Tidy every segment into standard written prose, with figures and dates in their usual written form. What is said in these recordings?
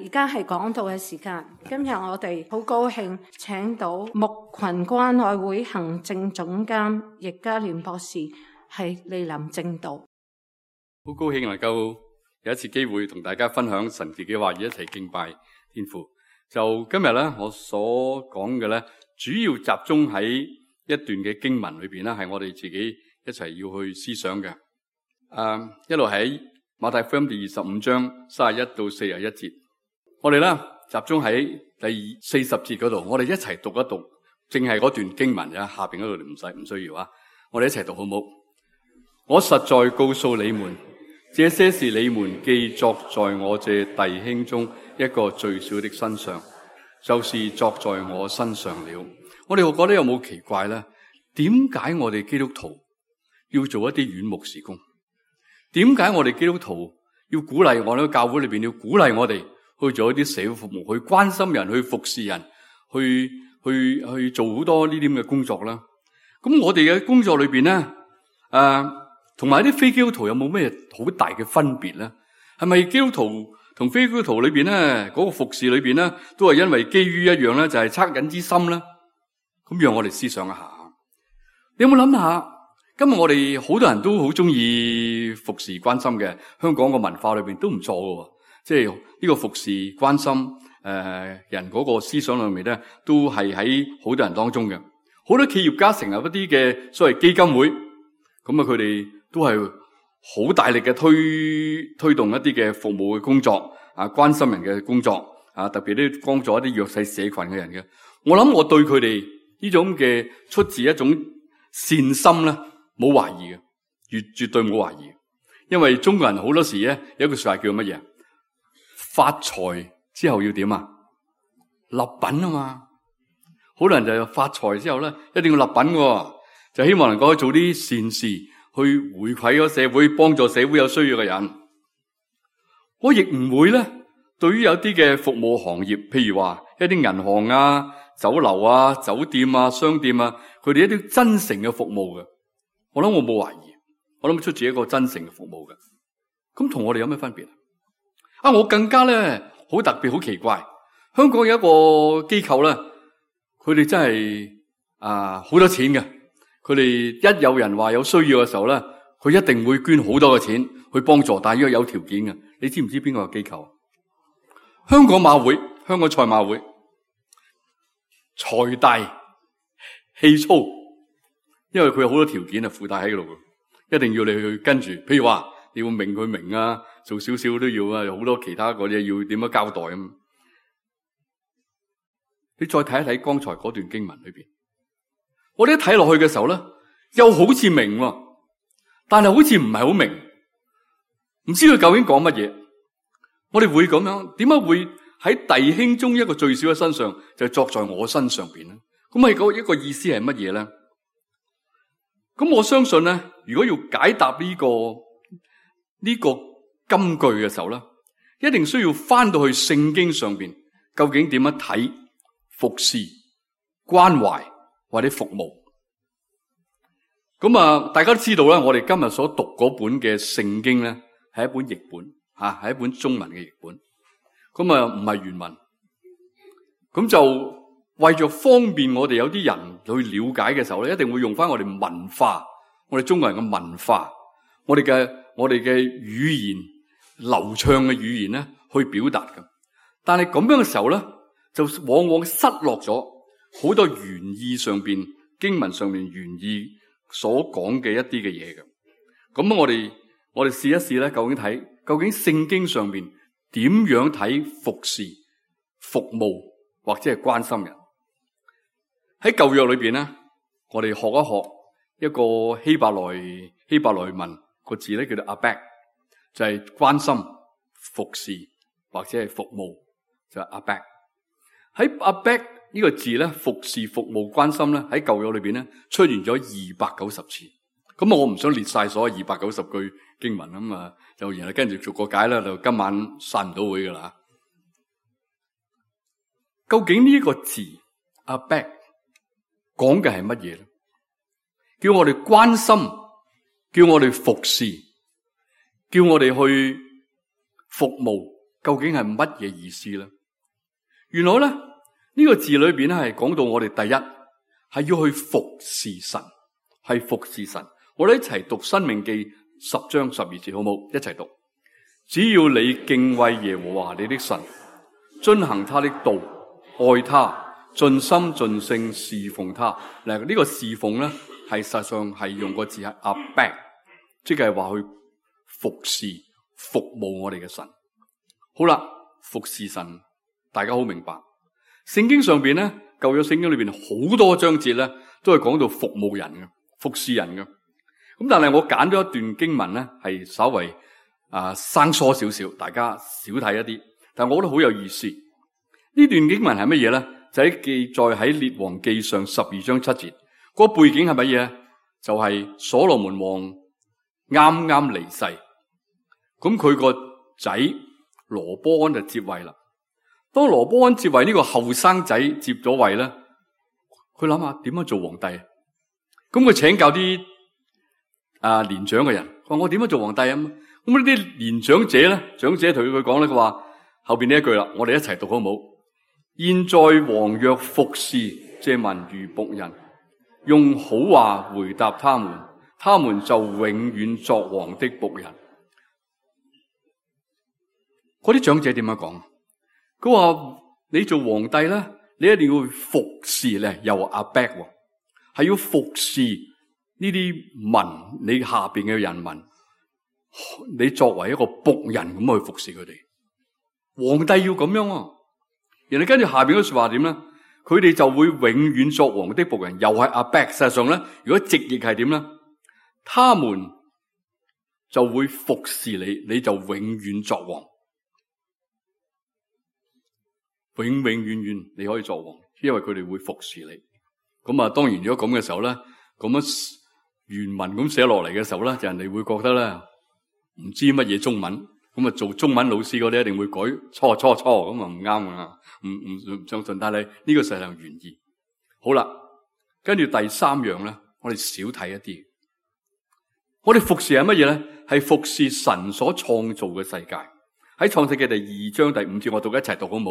而家係講道嘅時間。今日我哋好高興請到牧群關愛會行政總監易家聯博士係蒞臨證道。好高興能夠有一次機會同大家分享神自己話語，一齊敬拜天父。就今日咧，我所講嘅咧，主要集中喺一段嘅經文裏邊咧，係我哋自己一齊要去思想嘅。一路喺馬太福音第25章31到41節，我哋咧集中喺第40節嗰度，我哋一齊讀一讀，淨係嗰段經文啊，下邊嗰度唔需要啊，我哋一齊讀好唔好？我實在告訴你們，這些是你們既作在我這弟兄中一個最小的身上，就是作在我身上了。我哋會覺得有冇奇怪咧？點解我哋基督徒要做一啲院牧事工？點解我哋基督徒要鼓勵我哋教會裏邊要鼓勵我哋去做一啲社會服務，去關心人，去服侍人，去做好多呢啲咁嘅工作啦？咁我哋嘅工作裏邊咧，同埋啲非基督徒有冇咩好大嘅分別咧？係咪基督徒同非基督徒裏邊咧嗰個服侍裏邊咧，都係因為基於一樣咧，就係惻隱之心咧？咁讓我哋思想一下，你有冇諗下？今日我哋好多人都好中意服侍關心嘅，香港個文化裏邊都唔錯嘅，即係呢個服侍關心人嗰個思想裏面咧，都係喺好多人當中嘅。好多企業家成立一啲嘅所謂基金會，咁啊佢哋都係好大力嘅推動一啲嘅服務嘅工作啊，關心人嘅工作啊，特別啲幫助一啲弱勢社群嘅人嘅。我諗我對佢哋呢種嘅出自一種善心咧，冇懷疑嘅，絕對冇懷疑。因為中國人好多時咧有一句說話叫乜嘢？發財之後要點啊？立品啊嘛。好多人就發財之後咧，一定要立品嘅，就希望能夠做啲善事，去回饋個社會，幫助社會有需要嘅人。我亦唔會咧，對於有啲嘅服務行業，譬如話一啲銀行啊、酒樓啊、酒店啊、商店啊，佢哋一啲真誠嘅服務嘅。我諗我冇懷疑，我諗出自一個真誠嘅服務嘅，咁同我哋有咩分別啊？我更加咧好特別，好奇怪，香港有一個機構咧，佢哋真係好多錢嘅，佢哋一有人話有需要嘅時候咧，佢一定會捐好多嘅錢去幫助，但係要有條件嘅。你知唔知邊個機構？香港馬會，香港賽馬會，財大氣粗。因為佢有好多條件啊，附帶喺度，一定要你去跟住。譬如話，你要明佢明啊，做少少都要啊，有好多其他嗰啲要點樣交代咁。你再睇一睇剛才嗰段經文裏邊，我哋一睇落去嘅時候咧，又好似明，但係好似唔係好明，唔知佢究竟講乜嘢。我哋會咁樣，點解會喺弟兄中一個最小嘅身上，就作在我身上邊咧？咁係一個意思係乜嘢咧？咁我相信咧，如果要解答呢個金句嘅時候咧，一定需要翻到去聖經上邊，究竟點樣睇服侍、關懷或者服務？咁啊，大家都知道啦，我哋今日所讀嗰本嘅聖經咧，係一本譯本吓，係一本中文嘅譯本。咁啊，唔係原文。咁就為咗方便我哋有啲人去了解嘅時候咧，一定會用翻我哋文化，我哋中國人嘅文化，我哋嘅語言流暢嘅語言咧去表達嘅。但係咁樣嘅時候咧，就往往失落咗好多原意上邊經文上面原意所講嘅一啲嘅嘢嘅。咁我哋試一試咧，究竟聖經上邊點樣睇服侍、服務或者係關心人？喺舊約裏邊咧，我哋學一學一個希伯來文個字咧，叫做 abek， 就係關心、服侍或者係服務，就係 abek。喺 abek 呢個字咧，服侍、服務、關心咧，喺舊約裏邊咧出現咗290次。咁我唔想列晒所有290句經文咁啊，就然後跟住逐個解啦，就今晚散唔到會噶啦。究竟呢一個字 abek 講嘅係乜嘢咧？叫我哋關心，叫我哋服侍，叫我哋去服務，究竟係乜嘢意思咧？原來咧呢個字裏邊咧係講到我哋第一係要去服侍神，係服侍神。我哋一齊讀《申命記》10章12節好冇？一齊讀。只要你敬畏耶和華你的神，遵行他的道，愛他，盡心盡性侍奉他。嗱，呢個侍奉咧係實際上係用個字係 obey， 即係話去服侍、服務我哋嘅神。好啦，服侍神，大家好明白。聖經上邊咧，舊約聖經裏邊好多章節咧，都係講到服務人嘅、服侍人嘅。咁但係我揀咗一段經文咧，係稍為生疏少少，大家少睇一啲，但我覺得好有意思。呢段經文係乜嘢咧？就喺記載喺列王記上12章7節。個背景係乜嘢？就係所羅門王啱啱離世，咁佢個仔羅波安就接位啦。當羅波安接位呢個後生仔接咗位咧，佢諗下點樣做皇帝？咁佢請教啲年長嘅人，話我點樣做皇帝啊？咁呢啲年長者咧，長者同佢講咧，佢話後邊呢一句啦，我哋一齊讀好唔好？現在王若服侍這民如僕人，用好話回答他們，他們就永遠作王的僕人。嗰啲長者點樣講？佢話你做皇帝咧，你一定要服侍咧，又阿伯係要服侍呢啲民，你下邊嘅人民。你作為一個僕人咁去服侍佢哋，皇帝要咁樣啊。然後跟住下邊嗰說話點咧？佢哋就會永遠作王的僕人，又係阿伯。實際上咧，如果直譯係點咧？他們就會服侍你，你就永遠作王，永永遠遠你可以作王，因為佢哋會服侍你。咁啊，當然如果咁嘅時候咧，咁樣原文咁寫落嚟嘅時候咧，就人哋會覺得咧。唔知乜嘢中文，咁啊做中文老師嗰啲一定會改錯，咁啊唔啱啊，唔相信。但係呢個實際上原意。好啦，跟住第3樣咧，我哋少睇一啲。我哋服侍係乜嘢咧？係服侍神所創造嘅世界。喺創世記第2章第5節，我讀一齊讀好唔好？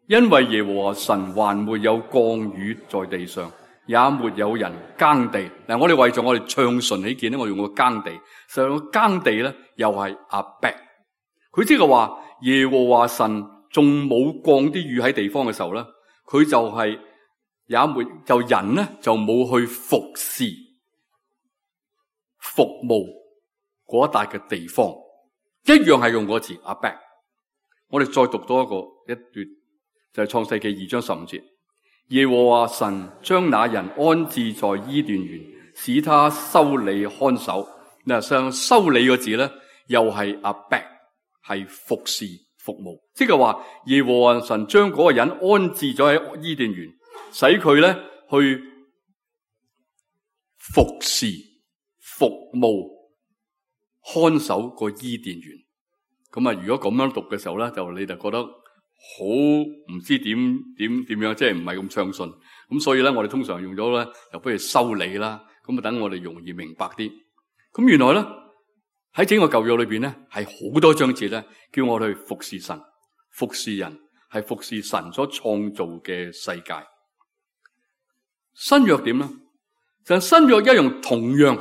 因為耶和華神還沒有降雨在地上，也沒有人耕地。嗱，我哋為咗我哋暢順起見咧，我用個耕地。實際上耕地咧，又係阿伯。佢即係話耶和華神仲冇降啲雨喺地方嘅時候咧，佢就係也沒就人咧就冇去服侍服務嗰一笪嘅地方，一樣係用嗰個字阿伯。我哋再讀多一段，就係創世記2章15節。耶和華神將那人安置在伊甸園，使他修理看守。嗱，上修理個字咧，又係阿伯，係服侍服務，即係話耶和華神將嗰個人安置咗喺伊甸園，使佢咧去服侍服務看守個伊甸園。咁啊，如果咁樣讀嘅時候咧，你就覺得好唔知點樣，即係唔係咁暢順。咁所以咧，我哋通常用咗咧，就不如修理啦。咁啊，等我哋容易明白啲。咁原來咧喺整個舊約裏邊咧，係好多章節咧，叫我哋去服侍神、服侍人，係服侍神所創造嘅世界。新約點咧？就新約一樣同樣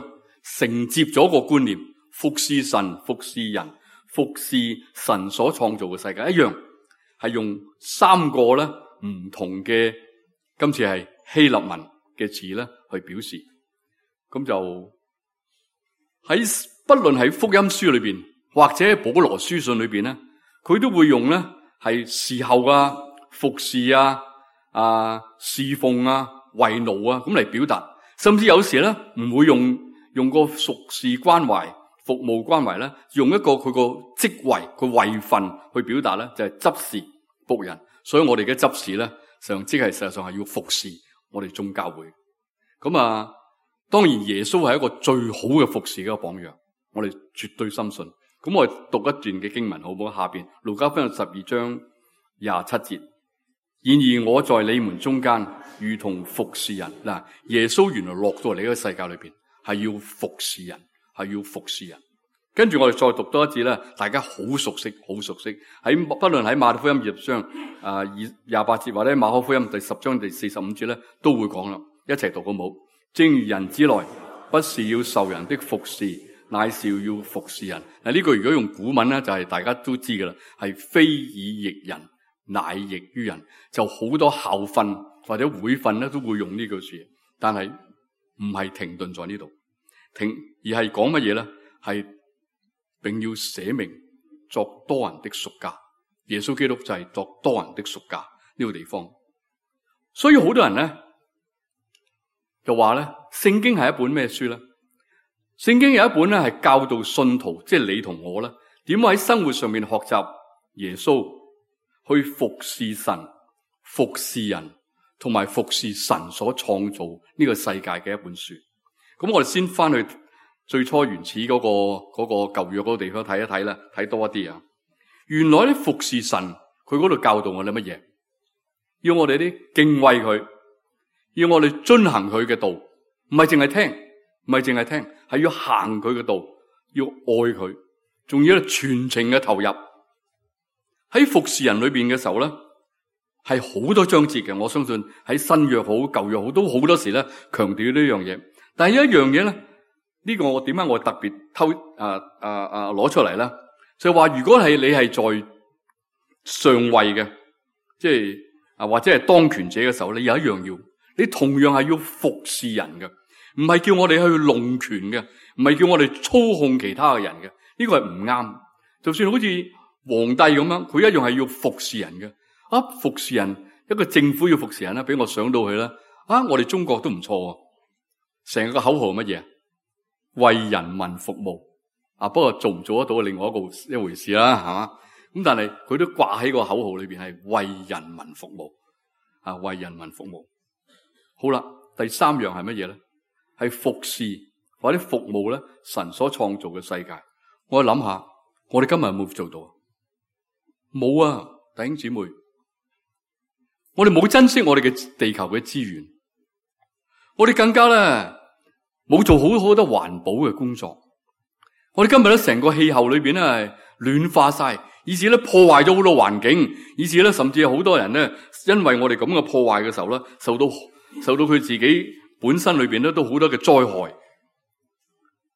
承接咗個觀念，服侍神、服侍人、服侍神所創造嘅世界一樣，係用3個咧唔同嘅，今次係希臘文嘅詞咧去表示。咁就喺不論喺福音書裏邊，或者喺保羅書信裏邊咧，佢都會用咧係侍候啊、服侍啊、侍奉啊、為奴啊咁嚟表達。甚至有時咧唔會用個屬事關懷、服務關懷咧，用一個佢個職位、個位份去表達咧，就係執事僕人。所以我哋嘅執事咧，實際上係要服侍我哋眾教會。咁當然耶穌係一個最好嘅服侍嘅一個榜樣，我哋絕對深信。咁我哋讀一段嘅經文好唔好？下邊路加福音12章27節。然而我在你們中間如同服侍人。嗱，耶穌原來落到嚟呢個世界裏邊係要服侍人，係要服侍人。跟住我哋再讀多一節咧，大家好熟悉，好熟悉。不論喺馬太福音20章28節，或者馬可福音第10章第45節咧，都會講啦。一齊讀好冇？正如人子來，不是要受人的服侍，乃是要服侍人。嗱，呢句如果用古文咧，就係大家都知噶啦，係非以役人，乃役於人。就好多校訓或者會訓咧，都會用呢句說話，但係唔係停頓在呢度，而係講乜嘢咧？係並要捨命作多人的贖價。耶穌基督就係作多人的贖價呢個地方。所以好多人咧就話咧，聖經係一本咩書咧？聖經有一本咧係教導信徒，即係你同我咧，點喺生活上面學習耶穌，去服侍神、服侍人，同埋服侍神所創造呢個世界嘅一本書。咁我哋先翻去最初原始嗰個舊約嗰個地方睇一睇啦，睇多一啲啊。原來咧服侍神，佢嗰度教導我哋乜嘢？要我哋啲敬畏佢，要我哋遵行佢嘅道，唔係淨係聽，係要行佢嘅道，要愛佢，仲要全情嘅投入。喺服侍人裏邊嘅時候咧，係好多章節嘅。我相信喺新約好、舊約好，都好多時咧強調呢樣嘢。但係有一樣嘢咧。呢個我點解我特別攞出嚟咧？就係話，如果係你係在上位嘅，即係或者係當權者嘅時候，你有一樣要，你同樣係要服侍人嘅，唔係叫我哋去弄權嘅，唔係叫我哋操控其他嘅人嘅。呢個係唔啱。就算好似皇帝咁樣，佢一樣係要服侍人嘅。服侍人，一個政府要服侍人啦，俾我想到佢啦。我哋中國都唔錯喎，成個口號乜嘢？為人民服務。不過做唔做得到另外一回事啦，係嘛？咁但係佢都掛喺個口號裏邊，係為人民服務。為人民服務。好啦，第三樣係乜嘢咧？係服侍或者服務咧神所創造嘅世界。我諗下，我哋今日有冇做到？冇啊，弟兄姊妹，我哋冇珍惜我哋嘅地球嘅資源，我哋更加咧冇做好多環保嘅工作。我哋今日咧成個氣候裏邊咧係暖化晒，以至咧破壞咗好多環境，以至咧甚至有好多人咧因為我哋咁嘅破壞嘅時候咧，受到佢自己本身裏邊咧都好多嘅災害，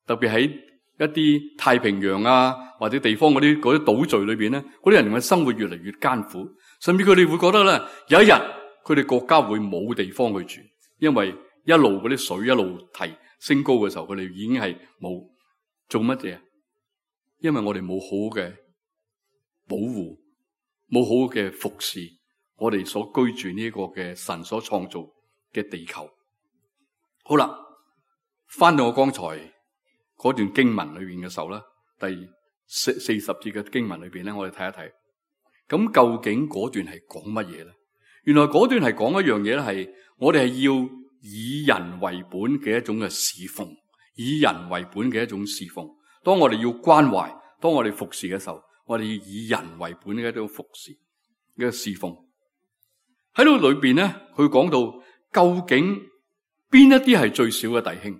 特別喺一啲太平洋或者地方嗰啲島嶼裏邊咧，嗰啲人嘅生活越嚟越艱苦，甚至佢哋會覺得咧有一日佢哋國家會冇地方去住，因為一路嗰啲水一路升高嘅時候，佢哋已經係冇做乜嘢，因為我哋冇好嘅保護，冇好嘅服侍我哋所居住呢個嘅神所創造嘅地球。好啦，翻到我剛才嗰段經文裏邊嘅時候咧，第40節嘅經文裏邊咧，我哋睇一睇。咁究竟嗰段係講乜嘢咧？原來嗰段係講一樣嘢咧，係我哋係要以人為本嘅一種嘅侍奉，以人為本嘅一種侍奉。當我哋要關懷，當我哋服侍嘅時候，我哋要以人為本嘅一種服侍嘅侍奉。喺度裏邊咧，佢講到究竟邊一啲係最少嘅弟兄，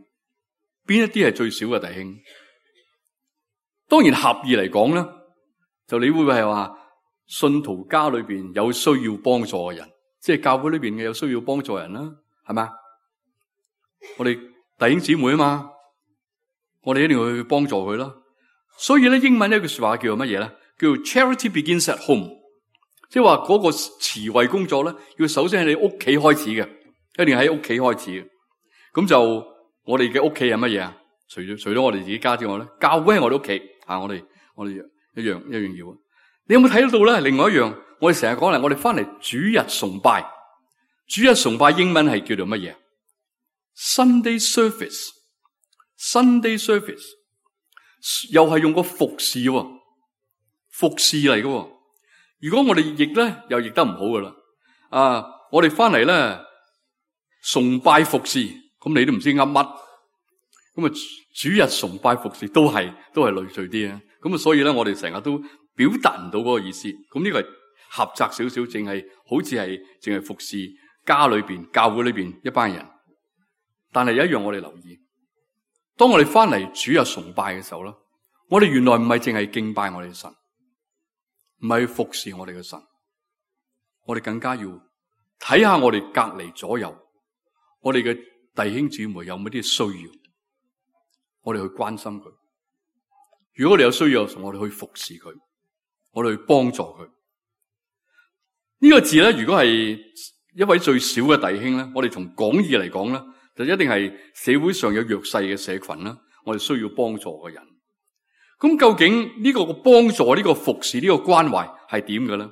邊一啲係最少嘅弟兄。當然合意嚟講咧，就你會唔會係話信徒家裏邊有需要幫助嘅人，即係教會裏邊嘅有需要幫助人啦，係咪？我哋弟兄姊妹啊嘛，我哋一定要去幫助佢啦。所以咧，英文呢句說話叫做乜嘢咧？叫做 Charity begins at home， 即係話嗰個慈惠工作咧，要首先喺你屋企開始嘅，一定喺屋企開始嘅。咁就我哋嘅屋企係乜嘢啊？除咗我哋自己家之外咧，教會係我哋屋企啊！我哋一樣要。你有冇睇到咧？另外一樣，我哋成日講嚟，我哋翻嚟主日崇拜，主日崇拜英文係叫做乜嘢？Sunday service 又係用個服侍嚟嘅。如果我哋譯咧，又譯得唔好噶啦。我哋翻嚟咧崇拜服侍，咁你都唔知噏乜。咁主日崇拜服侍都係類似啲啊。咁所以咧，我哋成日都表達唔到嗰個意思。咁呢個係狹窄少少，淨係好似係淨係服侍家裏邊、教會裏邊一班人。但係有一樣我哋留意，當我哋翻嚟主日崇拜嘅時候咧，我哋原來唔係淨係敬拜我哋嘅神，唔係去服侍我哋嘅神，我哋更加要睇下我哋隔離左右，我哋嘅弟兄姊妹有冇啲需要，我哋去關心佢。如果我哋有需要，我哋去服侍佢，我哋去幫助佢。呢個字咧，如果係一位最小嘅弟兄咧，我哋從廣義嚟講咧，就一定係社會上有弱勢嘅社群啦，我哋需要幫助嘅人。咁究竟呢個幫助、呢個服侍、呢個關懷係點嘅咧？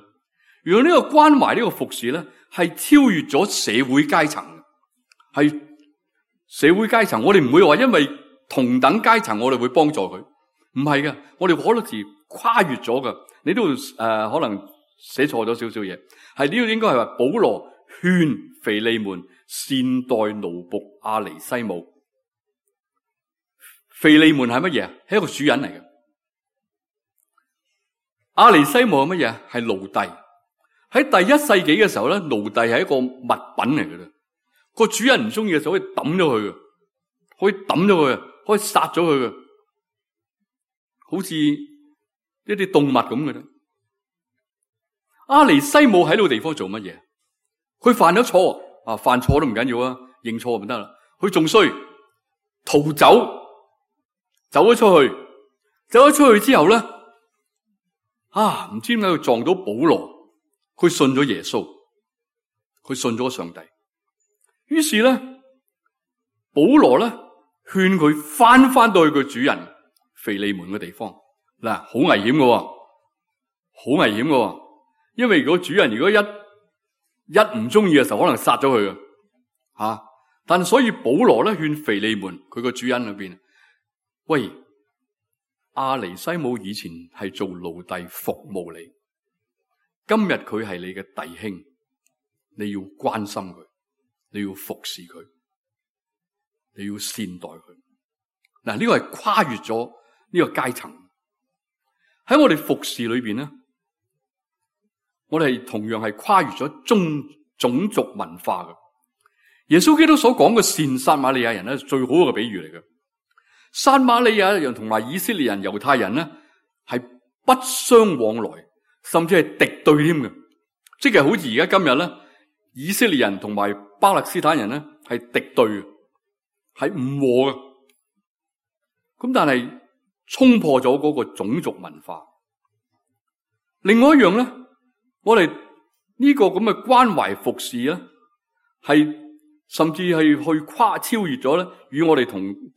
原來呢個關懷、呢個服侍咧，係超越咗社會階層嘅，係社會階層。我哋唔會話因為同等階層我哋會幫助佢，唔係嘅。我哋好多時跨越咗嘅。你都可能寫錯咗少少嘢，係呢個應該係話保羅勸腓利門善待奴僕阿尼西姆。腓利門係乜嘢？係一個主人嚟嘅。阿尼西姆係乜嘢？係奴隸。喺第一世紀嘅時候咧，奴隸係一個物品嚟嘅啦。個主人唔中意嘅時候可以抌咗佢嘅，可以抌咗佢，可以殺咗佢嘅，好似一啲動物咁嘅啫。阿尼西姆喺呢個地方做乜嘢？佢犯咗錯犯錯都唔緊要啊，認錯就得啦。佢仲衰，逃走，走咗出去之後咧，唔知點解佢撞到保羅，佢信咗耶穌，佢信咗上帝。於是咧，保羅咧勸佢翻到去佢主人腓利門嘅地方。嗱，好危險嘅，好危險嘅。因為如果主人一唔中意嘅時候，可能殺咗佢嘅。但係所以保羅咧勸腓利門佢個主人裏邊，喂，阿尼西姆以前係做奴隸服務你，今日佢係你嘅弟兄，你要關心佢，你要服侍佢，你要善待佢。嗱，呢個係跨越咗呢個階層。喺我哋服侍裏邊咧，我哋同樣係跨越咗種族文化嘅。耶穌基督所講嘅善撒瑪利亞人咧，最好嘅比喻嚟嘅。撒瑪利亞人同埋以色列人、猶太人咧，係不相往來，甚至係敵對添嘅。即係好似而家今日咧，以色列人同埋巴勒斯坦人咧係敵對嘅，係唔和嘅。咁但係衝破咗嗰個種族文化。另外一樣咧，我哋呢個咁嘅關懷服侍咧，係甚至係去超越咗咧，與我哋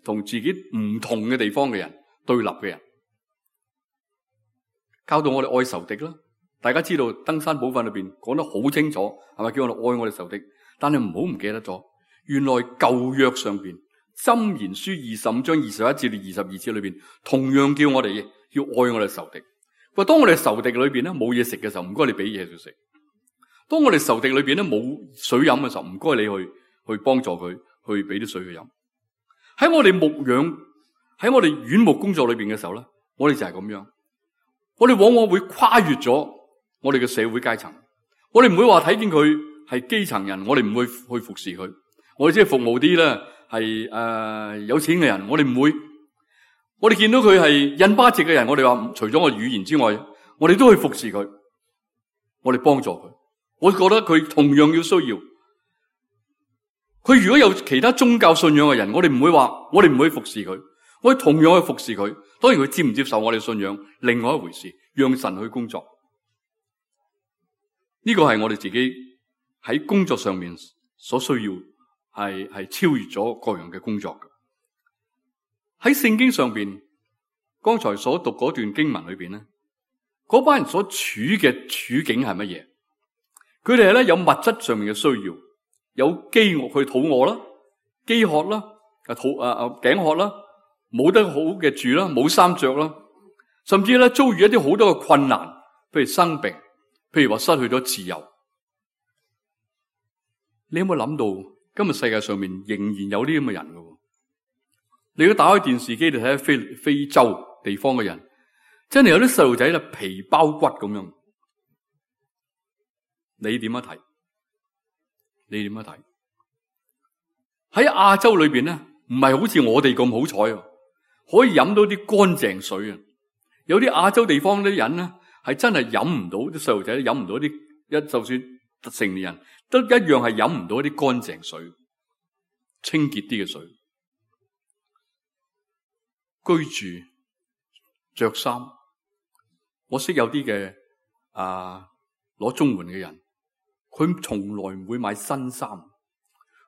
同自己唔同嘅地方嘅人對立嘅人，教導我哋愛仇敵啦。大家知道登山寶訓裏邊講得好清楚，係咪叫我哋愛我哋仇敵？但係唔好唔記得咗，原來舊約上邊箴言書25章21至22節裏邊，同樣叫我哋要愛我哋仇敵。喂，當我哋仇敵裏邊咧冇嘢食嘅時候，唔該你俾嘢佢食；當我哋仇敵裏邊咧冇水飲嘅時候，唔該你去幫助佢，去俾啲水佢飲。喺我哋牧養，喺我哋院牧工作裏邊嘅時候咧，我哋就係咁樣。我哋往往會跨越咗我哋嘅社會階層，我哋唔會話睇見佢係基層人，我哋唔會去服侍佢。我哋只係服務啲咧係有錢嘅人，我哋唔會。我哋見到佢係印巴籍嘅人，我哋話除咗我語言之外，我哋都去服侍佢，我哋幫助佢。我覺得佢同樣要需要。佢如果有其他宗教信仰嘅人，我哋唔會話，我哋唔會服侍佢，我哋同樣去服侍佢。當然佢接唔接受我哋信仰，另外一回事，讓神去工作。呢個係我哋自己喺工作上面所需要，係超越咗各樣嘅工作嘅。喺聖經上邊，剛才所讀嗰段經文裏邊咧，嗰班人所處嘅處境係乜嘢？佢哋係咧有物質上面嘅需要，有飢餓，佢肚餓啦，飢渴啦，頸渴啦，冇得好嘅住啦，冇衫着啦，甚至咧遭遇一啲好多嘅困難，譬如生病，譬如話失去咗自由。你有冇諗到今日世界上面仍然有啲咁嘅人㗎？你如果打開電視機，你睇下非洲地方嘅人，真係有啲細路仔咧皮包骨咁樣。你點樣睇？你點樣睇？喺亞洲裏邊咧，唔係好似我哋咁好彩，可以飲到啲乾淨水啊！有啲亞洲地方啲人咧係真係飲唔到，啲細路仔都飲唔到啲，就算成年人都一樣係飲唔到啲乾淨水、清潔啲嘅水。居住、着衫，我識有啲嘅攞綜援嘅人，佢從來唔會買新衫，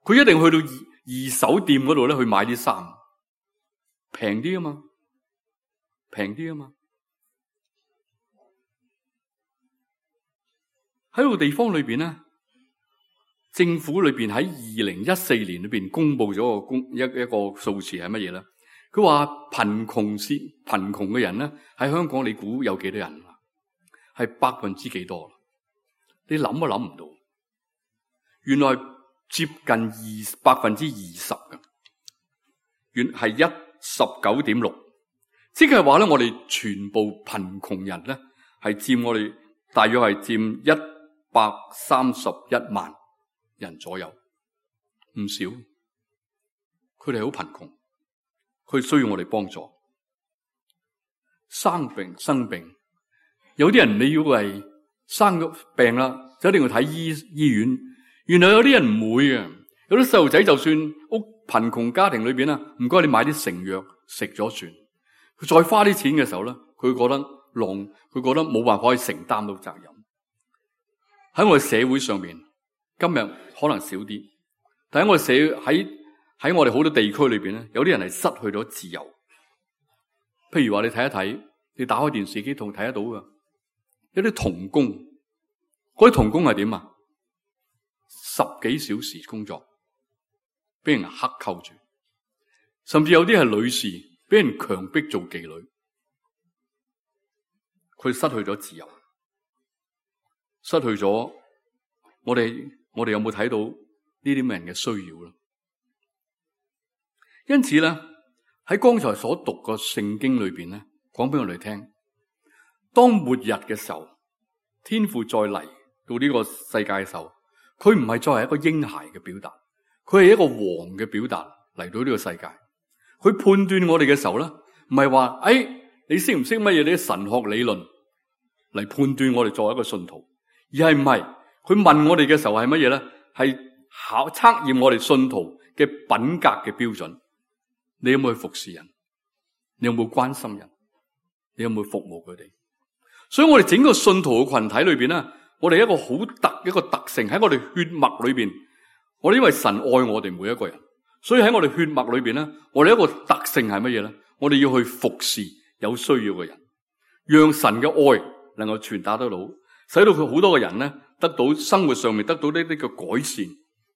佢一定去到二手店嗰度咧去買啲衫，平啲啊嘛，平啲啊嘛。喺個地方裏邊咧，政府裏邊喺2014年裏邊公布咗一個數字係乜嘢咧？佢話貧窮嘅人咧喺香港，你估有幾多人？係%幾多？你諗都諗唔到，原來接近20%嘅，原係19.6%，即係話咧，我哋全部貧窮人咧係佔我哋大約係佔131萬人左右，唔少。佢哋好貧窮，佢需要我哋幫助。生病，有啲人你要係生咗病啦，就一定要睇醫院。原來有啲人唔會嘅，有啲細路仔就算屋貧窮家庭裏邊啦，唔該你買啲成藥食咗算。佢再花啲錢嘅時候咧，佢覺得冇辦法去承擔到責任。喺我哋社會上面，今日可能少啲，但喺我哋喺我哋好多地區裏邊咧，有啲人係失去咗自由。譬如話你睇一睇，你打開電視機睇得到噶，有啲童工，嗰啲童工係點啊？10幾小時工作，俾人克扣住，甚至有啲係女士俾人強迫做妓女，佢失去咗自由，失去咗我哋有冇睇到呢啲人嘅需要咧？因此咧，喺剛才所讀嘅聖經裏邊咧，講俾我哋聽，當末日嘅時候，天父再嚟到呢個世界嘅時候，佢唔係再係一個嬰孩嘅表達，佢係一個王嘅表達嚟到呢個世界。佢判斷我哋嘅時候咧，唔係話你識唔識乜嘢？你啲神學理論嚟判斷我哋作為一個信徒，而係唔係佢問我哋嘅時候係乜嘢咧？係測驗我哋信徒嘅品格嘅標準。你有冇去服侍人？你有冇關心人？你有冇服務佢哋？所以我哋整個信徒嘅群體裏邊咧，我哋一個特性喺我哋血脈裏邊，我哋因為神愛我哋每一個人，所以喺我哋血脈裏邊咧，我哋一個特性係乜嘢咧？我哋要去服侍有需要嘅人，讓神嘅愛能夠傳達得到，使到佢好多嘅人咧得到生活上面得到呢啲嘅改善，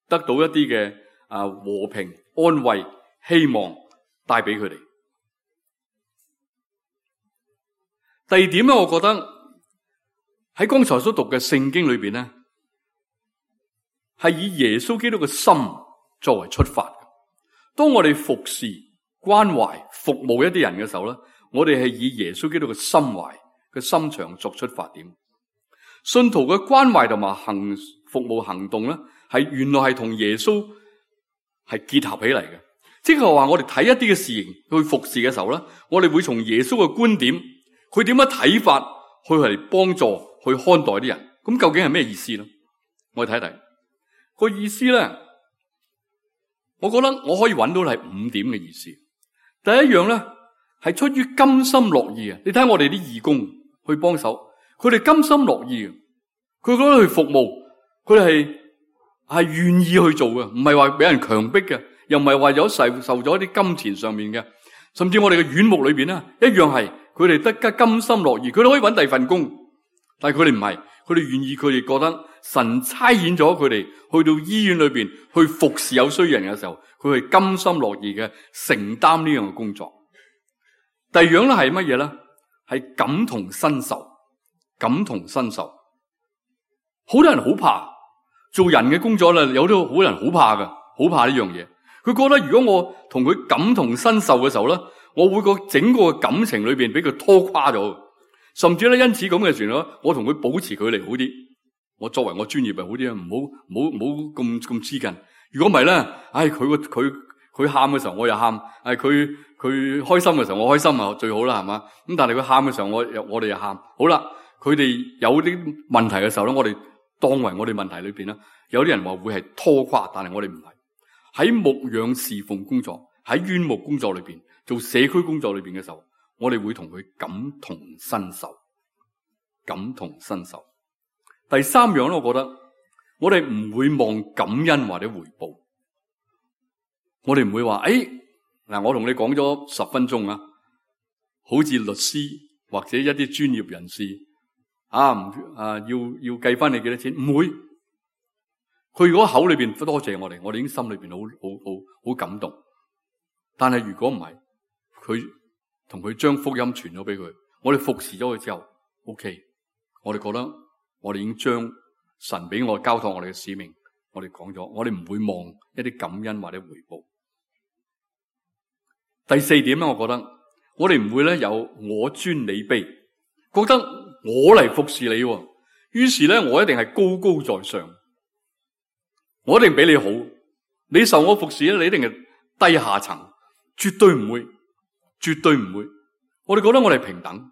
得到一啲嘅和平、安慰、希望帶俾佢哋。第二點咧，我覺得喺剛才所讀嘅聖經裏邊咧，係以耶穌基督嘅心作為出發。當我哋服侍、關懷、服務一啲人嘅時候咧，我哋係以耶穌基督嘅心懷嘅心腸作出發點。信徒嘅關懷同埋服務行動咧，係原來係同耶穌係結合起嚟嘅。即係話我哋睇一啲嘅事情去服侍嘅時候咧，我哋會從耶穌嘅觀點，佢點樣睇法去嚟幫助去看待啲人。咁究竟係咩意思咧？我哋睇睇個意思咧，我覺得我可以揾到係5點嘅意思。第一樣咧係出於甘心樂意啊！你睇我哋啲義工去幫手，佢哋甘心樂意，佢覺得去服務，佢哋係願意去做嘅，唔係話俾人強迫嘅，又唔係話有受咗一啲金錢上面嘅，甚至我哋嘅院牧裏邊咧一樣係佢哋得甘心樂意，佢哋可以揾第二份工，但係佢哋唔係，佢哋願意，佢哋覺得神差遣咗佢哋去到醫院裏邊去服侍有需要人嘅時候，佢係甘心樂意嘅承擔呢樣嘅工作。第二樣咧係乜嘢咧？係感同身受，感同身受。好多人好怕做人嘅工作咧，有啲好多人好怕嘅，好怕呢樣嘢。佢覺得如果我同佢感同身受嘅時候咧，我會個整個感情裏邊俾佢拖垮咗，甚至咧因此咁嘅時候，我同佢保持距離好啲。我作為我專業係好啲啊，唔好咁黐近。如果唔係咧，佢喊嘅時候我又喊，佢佢開心嘅時候，我開心啊最好啦，係嘛？咁但係佢喊嘅時候，我哋又喊。好啦，佢哋有啲問題嘅時候咧，我哋當為我哋問題裏邊咧，有啲人話會係拖垮，但係我哋唔係。喺牧養侍奉工作，喺院牧工作裏邊，做社區工作裏邊嘅時候，我哋會同佢感同身受，感同身受。第三樣咧，我覺得我哋唔會望感恩或者回報，我哋唔會話嗱，我同你講咗10分鐘啊，好似律師或者一啲專業人士要計翻你幾多錢，唔會。佢如果口裏邊多謝我哋已經心裏邊好感動。但係如果唔係，佢同佢將福音傳咗俾佢，我哋服侍咗佢之後 ，OK， 我哋覺得我哋已經將神俾我交託我哋嘅使命，我哋講咗，我哋唔會望一啲感恩或者回報。第四點咧，我覺得我哋唔會咧有我尊你卑，覺得我嚟服侍你，於是咧我一定係高高在上，我一定比你好，你受我服侍咧，你一定係低下層，絕對唔會，絕對唔會。我哋覺得我哋平等，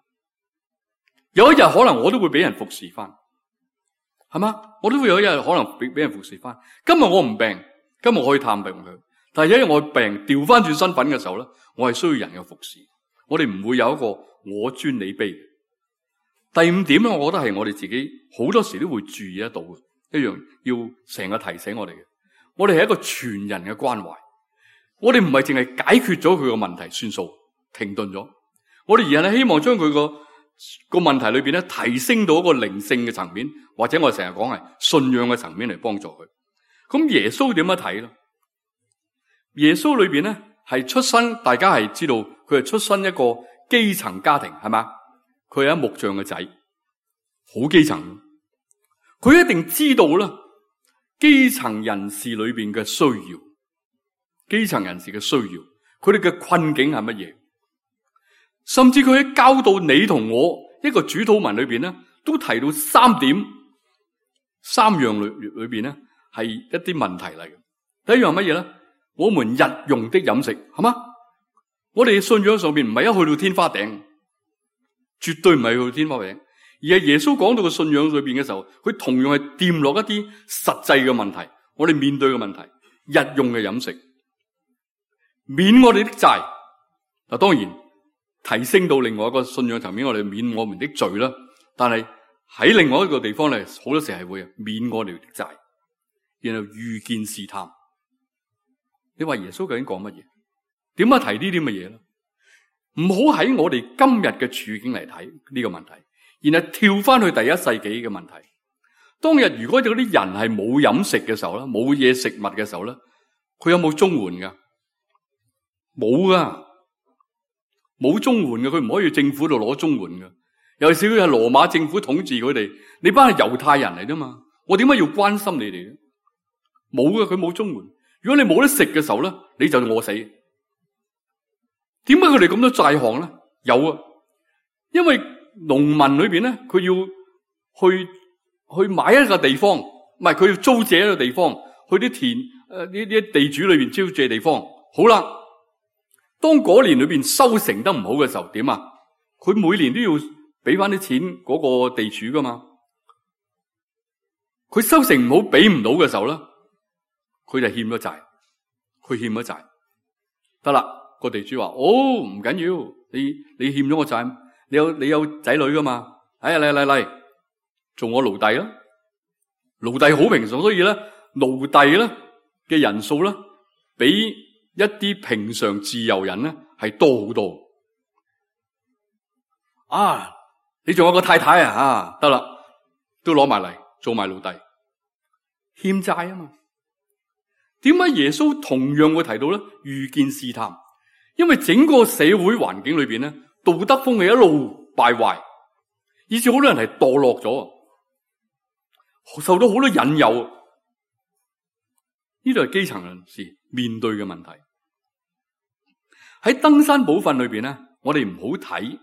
有一日可能我都會俾人服侍翻，係嘛？我都會有一日可能俾人服侍翻。今日我唔病，今日我可以探病佢，但係有一日我病調翻轉身份嘅時候咧，我係需要人嘅服侍。我哋唔會有一個我尊你卑。第五點咧，我覺得係我哋自己好多時都會注意得到嘅一樣，要成日提醒我哋嘅。我哋係一個全人嘅關懷，我哋唔係淨係解決咗佢個問題算數停頓咗，我哋而係希望將佢個問題裏邊咧提升到一個靈性嘅層面，或者我哋成日講係信仰嘅層面嚟幫助佢。咁耶穌點樣睇咧？耶穌裏邊咧係出身，大家係知道佢係出身一個基層家庭，係嘛？佢係一木匠嘅仔，好基層。佢一定知道啦，基層人士裏邊嘅需要，基層人士嘅需要，佢哋嘅困境係乜嘢？甚至佢喺教導你同我一個主禱文裏邊咧，都提到3樣裏邊咧係一啲問題嚟嘅。第一樣乜嘢咧？我們日用的飲食，係嘛？我哋信仰上邊唔係一去到天花頂，絕對唔係去到天花頂，而係耶穌講到個信仰裏邊嘅時候，佢同樣係掂落一啲實際嘅問題，我哋面對嘅問題，日用嘅飲食，免我哋的債。嗱，當然提升到另外一個信仰層面，我哋免我們的罪啦。但係喺另外一個地方咧，好多時係會免我哋的債，然後遇見試探。你話耶穌究竟講乜嘢？點解提呢啲乜嘢咧？唔好喺我哋今日嘅處境嚟睇呢個問題，然後跳翻去第1世紀嘅問題。當日如果有啲人係冇飲食嘅時候咧，冇嘢食物嘅時候咧，佢有冇綜援噶？冇噶，冇綜援嘅，佢唔可以政府度攞綜援嘅。尤其是佢係羅馬政府統治佢哋，你班係猶太人嚟啫嘛，我點解要關心你哋咧？冇嘅，佢冇綜援。如果你冇得食嘅時候咧，你就餓死。點解佢哋咁多債項咧？有啊，因為農民裏邊咧，佢要去買一個地方，唔係佢要租借一個地方，去啲田呢啲地主裏邊租借地方。好啦，當嗰年裏邊收成得唔好嘅時候，點啊？佢每年都要俾翻啲錢嗰個地主噶嘛。佢收成唔好，俾唔到嘅時候咧，佢就欠咗債，佢欠咗債，得啦。個地主話：唔緊要，你欠咗我債，你有仔女噶嘛？嚟，做我奴隸啦！奴隸好平常，所以咧，奴隸咧嘅人數咧，比一啲平常自由人咧係多好多。你仲有個太太啊？得啦，都攞埋嚟做埋奴隸，欠債啊嘛。點解耶穌同樣會提到咧？遇見試探。因為整個社會環境裏邊咧，道德風氣一路敗壞，以致好多人係墮落咗，受到好多引誘。呢度係基層人士面對嘅問題。喺登山寶訓裏邊咧，我哋唔好睇，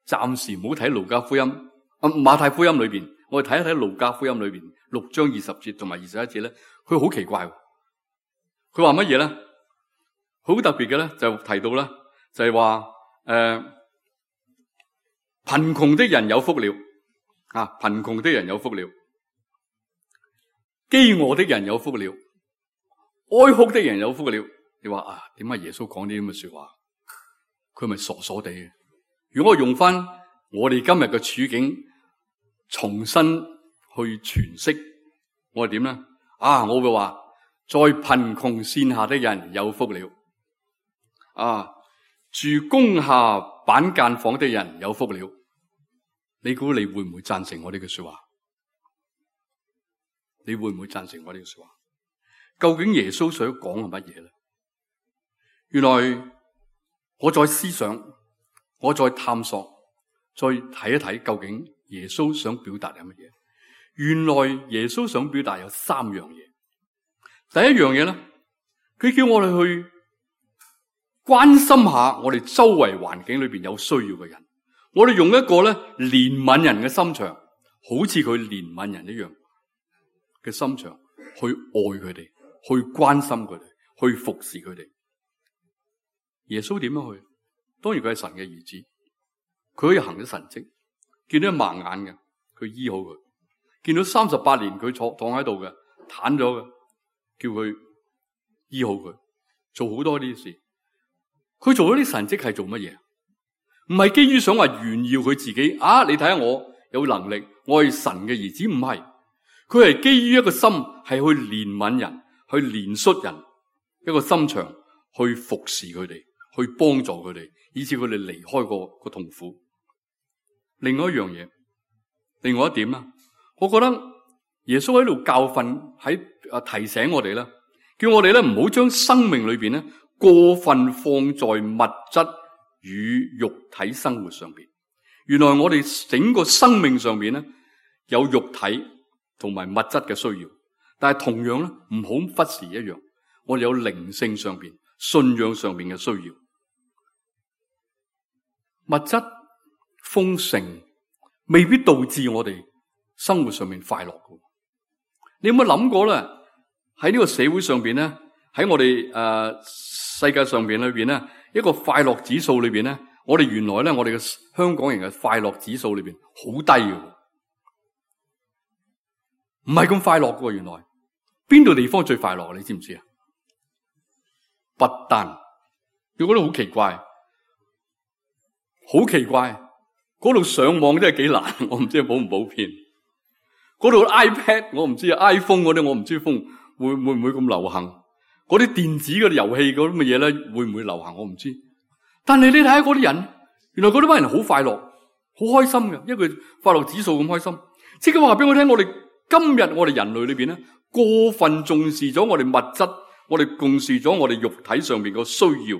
暫時唔好睇路加福音、馬太福音裏邊，我哋睇一睇路加福音裏邊6章20節同埋21節咧，佢好奇怪。佢話乜嘢咧？好特別嘅咧，就提到啦，就係話貧窮的人有福了啊！貧窮的人有福了，飢餓的人有福了，哀哭的人有福了。你話啊，點解耶穌講呢啲咁嘅說話？佢咪傻傻地嘅？如果我用翻我哋今日嘅處境，重新去詮釋，我係點咧？啊，我會話，在貧窮線下的人有福了，啊，住工廈板間房的人有福了。你估你會唔會贊成我呢句說話？你會唔會贊成我呢句說話？究竟耶穌想講係乜嘢咧？原來我再思想，我再探索，再睇一睇，究竟耶穌想表達係乜嘢？原來耶穌想表達有三樣嘢。第一樣嘢咧，佢叫我哋去關心下我哋周圍環境裏邊有需要嘅人。我哋用一個咧憐憫人嘅心腸，好似佢憐憫人一樣嘅心腸，去愛佢哋，去關心佢哋，去服侍佢哋。耶穌點樣去？當然佢係神嘅兒子，佢可以行咗神蹟，見到盲眼嘅，佢醫好佢；見到38年佢躺喺度嘅，癱咗嘅，叫佢醫好佢，做好多呢啲事。佢做咗啲神蹟係做乜嘢？唔係基於想話炫耀佢自己啊！你睇下我有能力，我係神嘅兒子，唔係。佢係基於一個心，係去憐憫人，去憐恤人，一個心腸去服侍佢哋，去幫助佢哋，以致佢哋離開個痛苦。另外一樣嘢，另外一點啦，我覺得耶穌喺度教訓，喺提醒我哋啦，叫我哋咧唔好將生命裏邊咧過分放在物質與肉體生活上邊。原來我哋整個生命上邊咧有肉體同埋物質嘅需要，但係同樣咧唔好忽視一樣，我哋有靈性上邊、信仰上邊嘅需要。物質豐盛未必導致我哋生活上面快樂嘅。你有冇諗過咧？喺呢個社會上邊咧，喺我哋世界上邊裏邊咧，一個快樂指數裏邊咧，我哋原來咧，我哋嘅香港人嘅快樂指數裏邊好低嘅，唔係咁快樂嘅。原來邊度地方最快樂？你知唔知啊？不丹，你覺得好奇怪？好奇怪，嗰度上網真係幾難，我唔知普唔普遍。嗰度 iPad 我唔知啊 ，iPhone 嗰啲我唔知會唔會咁流行。嗰啲電子嘅遊戲嗰啲乜嘢咧，會唔會流行？我唔知。但係你睇下嗰啲人，原來嗰啲班人好快樂，好開心嘅，因為佢快樂指數咁開心。即係話俾我聽，我哋今日我哋人類裏邊咧，過分重視咗我哋物質，我哋重視咗我哋肉體上邊個需要。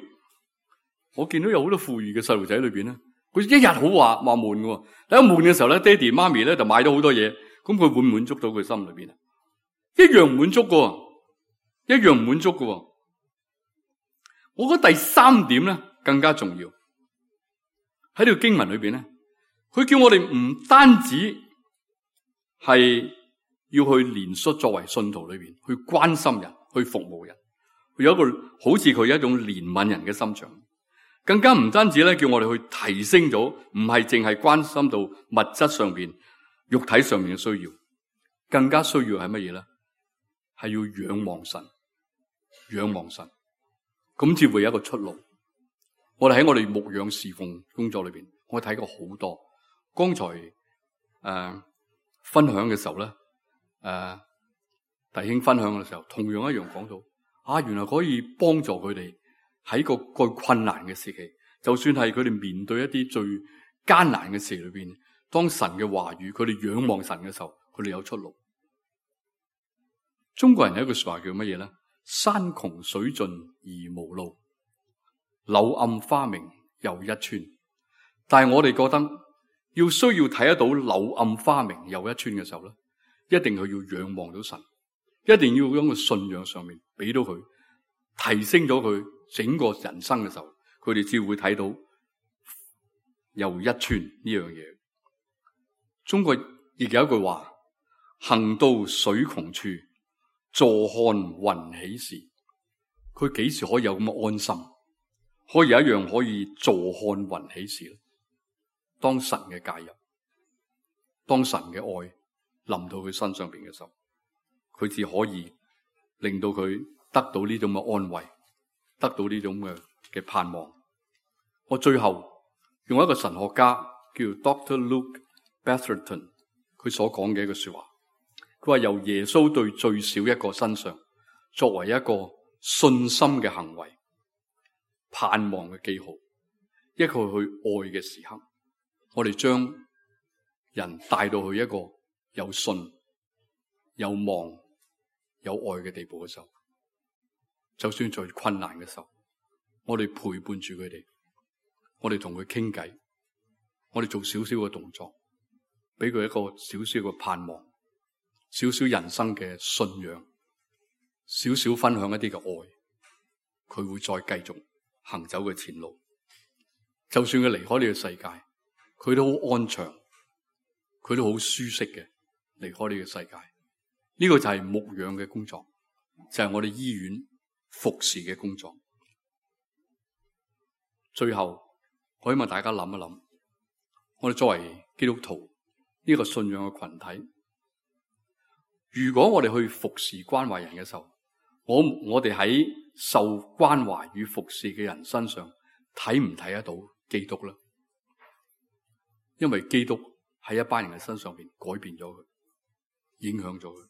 我見到有好多富裕嘅細路仔裏邊咧，佢一日好話悶嘅，喺悶嘅時候咧，爹哋媽咪咧就買咗好多嘢，咁佢會滿足到佢心裏邊啊？一樣唔滿足嘅，一樣唔滿足嘅。我覺得第三點咧更加重要，喺呢個經文裏邊咧，佢叫我哋唔單止係要去憐恤，作為信徒裏邊去關心人，去服務人，佢有一個好似佢有一種憐憫人嘅心腸。更加唔單止咧，叫我哋去提升咗，唔係淨係關心到物質上邊、肉體上面嘅需要，更加需要係乜嘢咧？係要仰望神，仰望神，咁至會有一個出路。我哋喺我哋牧養侍奉工作裏邊，我睇過好多。剛才分享嘅時候咧，弟兄分享嘅時候，同樣一樣講到原來可以幫助佢哋。喺個困難嘅時期，就算係佢哋面對一啲最艱難嘅事裏邊，當神嘅話語，佢哋仰望神嘅時候，佢哋有出路。中國人有一句說話叫乜嘢咧？山窮水盡而無路，柳暗花明又一村。但係我哋覺得需要睇得到柳暗花明又一村嘅時候咧，一定係要仰望到神，一定要喺個信仰上面俾到佢，提升咗佢。整個人生嘅時候，佢哋只會睇到又一村呢樣嘢。中國亦有一句話：行到水窮處，坐看雲起時。佢幾時可以有咁嘅安心？可以有一樣可以坐看雲起時，當神嘅介入，當神嘅愛臨到佢身上邊嘅時候，佢只可以令到佢得到呢種嘅安慰，得到呢種嘅盼望。我最後用一個神學家叫 Dr. Luke Betherton 佢所講嘅一個說話，佢話由耶穌對最少一個身上作為一個信心嘅行為，盼望嘅記號，一個去愛嘅時刻，我哋將人帶到去一個有信、有望、有愛嘅地步嘅時候，就算最困難嘅時候，我哋陪伴住佢哋，我哋同佢傾偈，我哋做少少嘅動作，俾佢一個少少嘅盼望，少少人生嘅信仰，少少分享一啲嘅愛，佢會再繼續行走嘅前路。就算佢離開呢個世界，佢都好安詳，佢都好舒適嘅離開呢個世界。呢個就係牧養嘅工作，就係我哋醫院服侍嘅工作。最後，我希望大家諗一諗，我哋作為基督徒呢個信仰嘅群體，如果我哋去服侍關懷人嘅時候，我哋喺受關懷與服侍嘅人身上睇唔睇得到基督呢？因為基督喺一班人嘅身上邊改變咗佢，影響咗佢。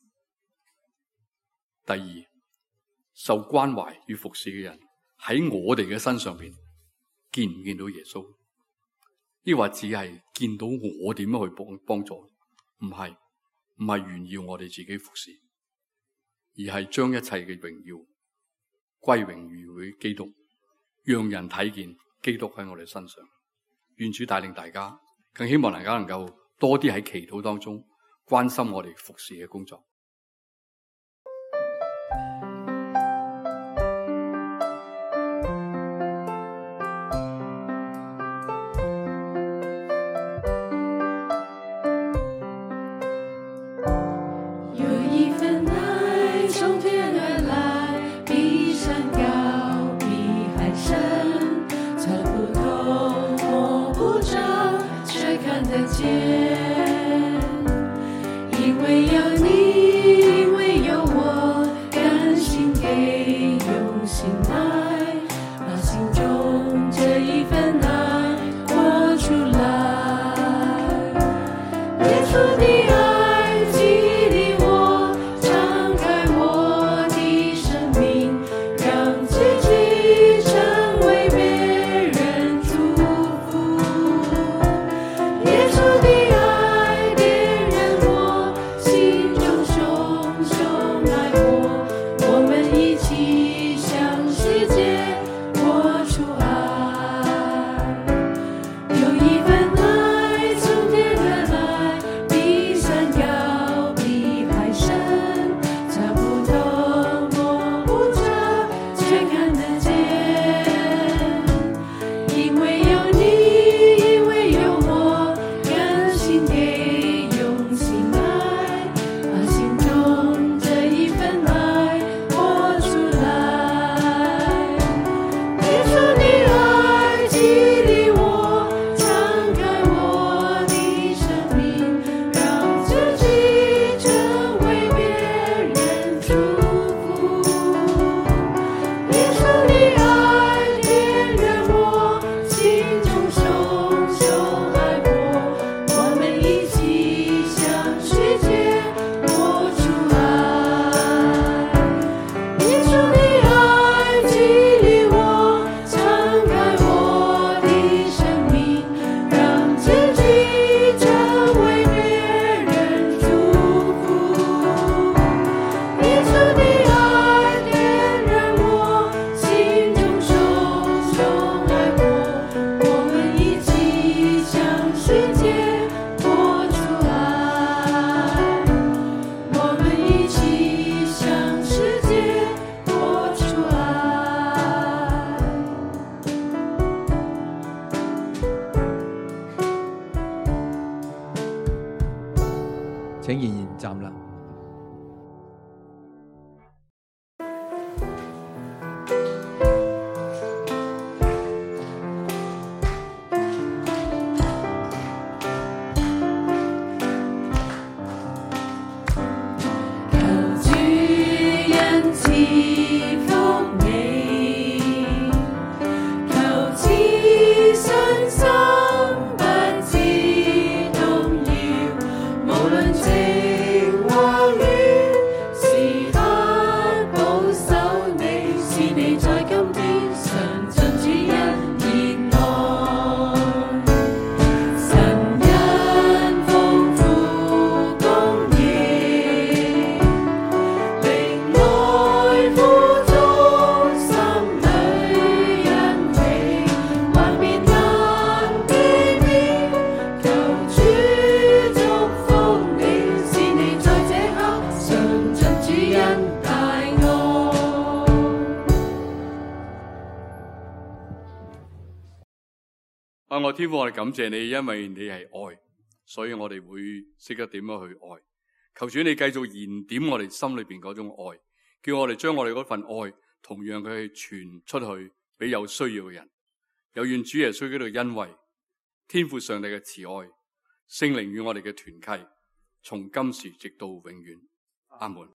第二，受關懷與服侍嘅人喺我哋嘅身上邊見唔見到耶穌？抑或只係見到我點樣去幫助？唔係炫耀我哋自己服侍，而係將一切嘅榮耀歸榮於基督，讓人睇見基督喺我哋身上。願主帶領大家，更希望大家能夠多啲喺祈禱當中關心我哋服侍嘅工作。因为有你。我天父，我哋感謝你，因為你係愛，所以我哋會識得點樣去愛。求主你繼續燃點我哋心裏邊嗰種愛，叫我哋將我哋嗰份愛同樣佢去傳出去俾有需要嘅人。有願主耶穌基督嘅恩惠、天父上帝嘅慈愛、聖靈與我哋嘅團契，從今時直到永遠。阿門。